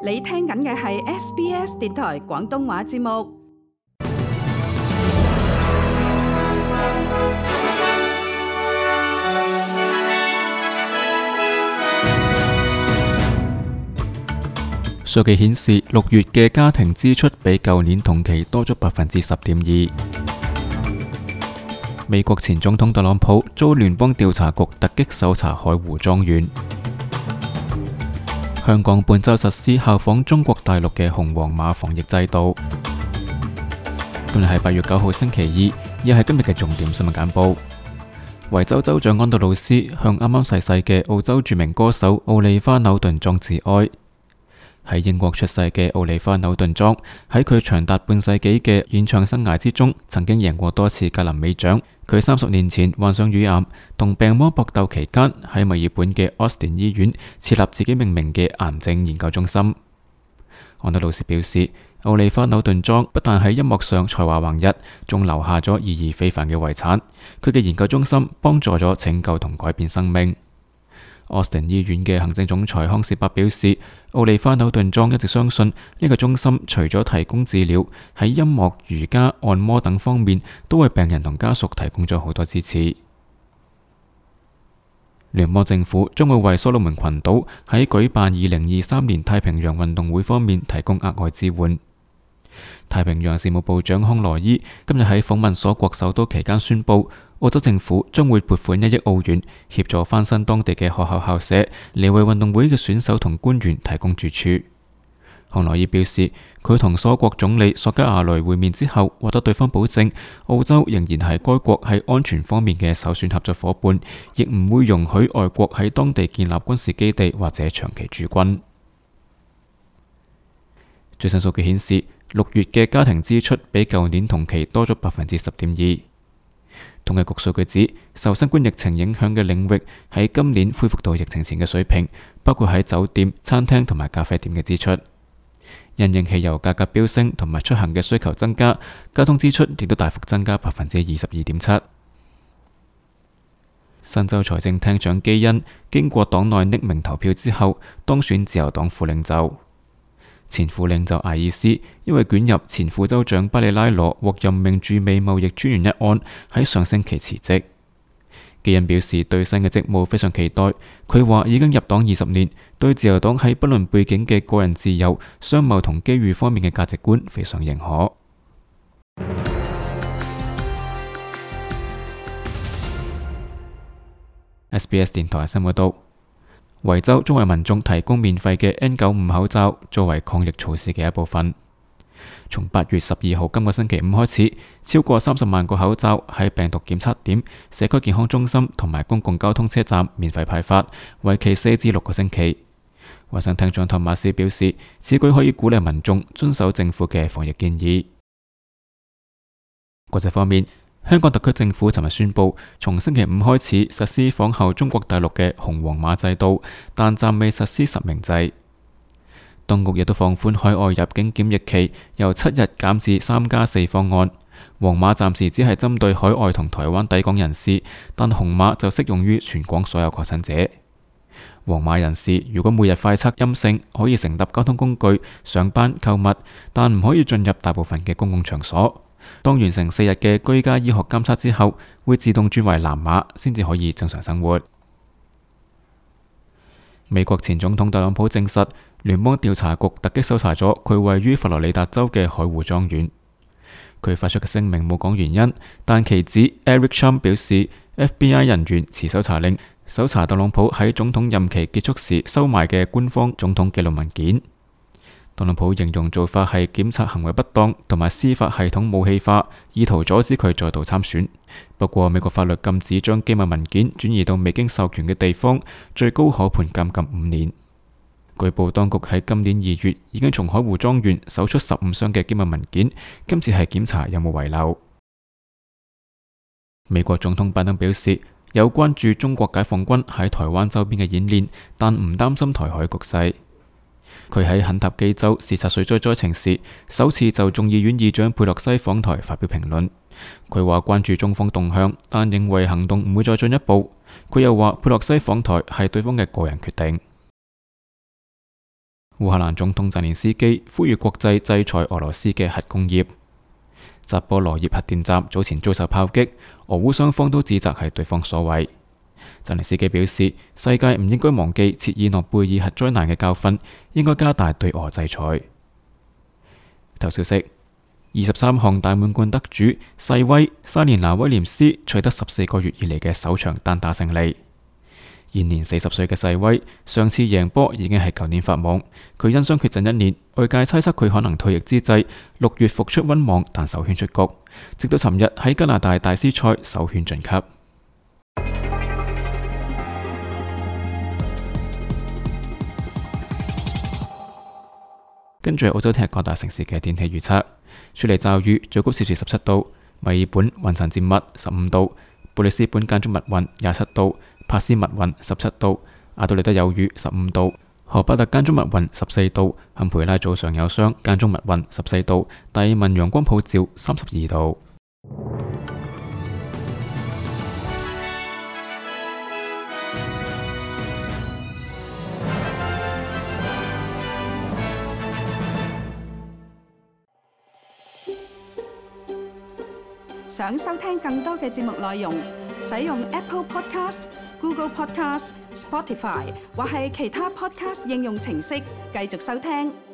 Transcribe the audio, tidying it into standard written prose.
你聽緊嘅係 SBS 電台廣東話節目。數據顯示，6月嘅家庭支出比舊年同期多咗10.2%。美國前總統特朗普遭聯邦調查局突擊搜查海湖莊園。香港本週實施效仿中國大陸嘅紅黃碼防疫制度。今日係8月9號星期二，亦係今日嘅重點新聞簡報。維州州長安德魯斯向啱啱逝世嘅澳洲著名歌手奧利花紐頓莊致哀。喺英國出世嘅奧利花紐頓莊喺佢長達半世紀嘅演唱生涯之中，曾經贏過多次格林美獎。佢30年前患上乳癌，同病魔搏鬥期間，喺墨爾本嘅 Austin 醫院設立自己命名嘅癌症研究中心。安德魯斯表示，奧利花紐頓莊不但喺音樂上才華橫溢，仲留下咗意義非凡嘅遺產。佢嘅研究中心幫助咗拯救同改變生命。Austin 醫院嘅行政總裁康士伯表示，奧利花紐頓莊一直相信呢個中心除咗提供治療，喺音樂、瑜伽、按摩等方面都為病人同家屬提供咗好多支持。聯邦政府將會為所羅門群島喺舉辦2023年太平洋運動會方面提供額外支援。太平洋事務部長康羅伊今日喺訪問所國首都期間宣布，澳洲政府將會撥款1億澳元協助翻新當地嘅學校校舍，嚟為運動會嘅選手同官員提供住處。康羅伊表示，佢同所國總理索加亞雷會面之後，獲得對方保證，澳洲仍然係該國喺安全方面嘅首選合作伙伴，亦唔會容許外國喺當地建立軍事基地或者長期駐軍。最新數據顯示，6月嘅家庭支出比舊年同期多咗10.2%。統計局數據指，受新冠疫情影響嘅領域喺今年恢復到疫情前嘅水平，包括喺酒店、餐廳同埋咖啡店嘅支出。因應汽油價格飆升同埋出行嘅需求增加，交通支出亦都大幅增加22.7%。新州財政廳長基恩經過黨內匿名投票之後，當選自由黨副領袖。前副領袖艾爾斯因為捲入前副州長巴里拉羅獲任命駐美貿易專員一案，喺上星期辭職。基恩表示對新嘅職務非常期待。佢話已經入黨20年，對自由黨喺不論背景嘅個人自由、商貿同機遇方面嘅價值觀非常認可。SBS 電台新聞報道。維州將為民眾提供免費嘅 N95 口罩，作為抗疫措施嘅一部分。從8月12號今個星期五開始，超過30萬個口罩喺病毒檢測點、社區健康中心同埋公共交通車站免費派發，為期4至6個星期。衛生廳長托馬斯表示，此舉可以鼓勵民眾遵守政府嘅防疫建議。國際方面，香港特區政府尋日宣布，從星期5開始實施仿效中國大陸嘅紅黃碼制度，但暫未實施實名制。當局亦都放寬海外入境檢疫期，由7日減至3+4方案。黃碼暫時只係針對海外同台灣抵港人士，但紅碼就適用於全港所有確診者。黃碼人士如果每日快測陰性，可以乘搭交通工具、上班、購物，但唔可以進入大部分嘅公共場所。當完成4日嘅居家醫學監測之後，會自動轉為藍碼，先至可以正常生活。美國前總統特朗普證實，聯邦調查局突擊搜查咗佢位於佛羅里達州嘅海湖莊園。佢發出嘅聲明冇講原因，但其子 Eric Trump 表示 ，FBI 人員持搜查令搜查特朗普喺總統任期結束時收埋嘅官方總統記錄文件。特朗普形容做法係檢察行為不當同埋司法系統武器化，意圖阻止佢再度參選。不過美國法律禁止將機密文件轉移到未經授權嘅地方，最高可判監禁5年。據報當局喺今年2月已經從海湖莊園搜出15箱嘅機密文件，今次係檢查有冇遺漏。美國總統拜登表示，有關注中國解放軍喺台灣周邊嘅演練，但唔擔心台海局勢。佢喺肯塔基州視察水災災情時，首次就眾議院議長佩洛西訪台發表評論。佢話關注中方動向，但認為行動唔會再進一步。佢又話佩洛西訪台係對方嘅個人決定。烏克蘭總統澤連斯基呼籲國際制裁俄羅斯嘅核工業。扎波羅熱核電站早前遭受炮擊，俄烏雙方都指責係對方所為。澤連斯基表示，世界唔應該忘記切爾諾貝爾核災難嘅教訓，應該加大對俄制裁。頭消息：23項大滿貫得主細威莎蓮娜威廉斯取得14個月以嚟嘅首場單打勝利。現年40歲嘅細威，上次贏波已經係舊年法網，佢因傷缺陣1年，外界猜測佢可能退役之際6月復出溫網，但首圈出局，直到尋日喺加拿大大師賽首圈晉級。跟住係澳洲聽日各大城市嘅天氣預測：雪梨驟雨，最高攝氏17度；墨爾本雲層漸密15度；布里斯本間中密雲27度；帕斯密雲17度；阿德利德有雨15度；荷巴特間中密雲14度；坎培拉早上有霜間中密雲14度；達爾文陽光普照32度。想收聽更多嘅節目內容，使用 Apple Podcast、Google Podcast、Spotify 或係其他 Podcast 應用程式繼續收聽。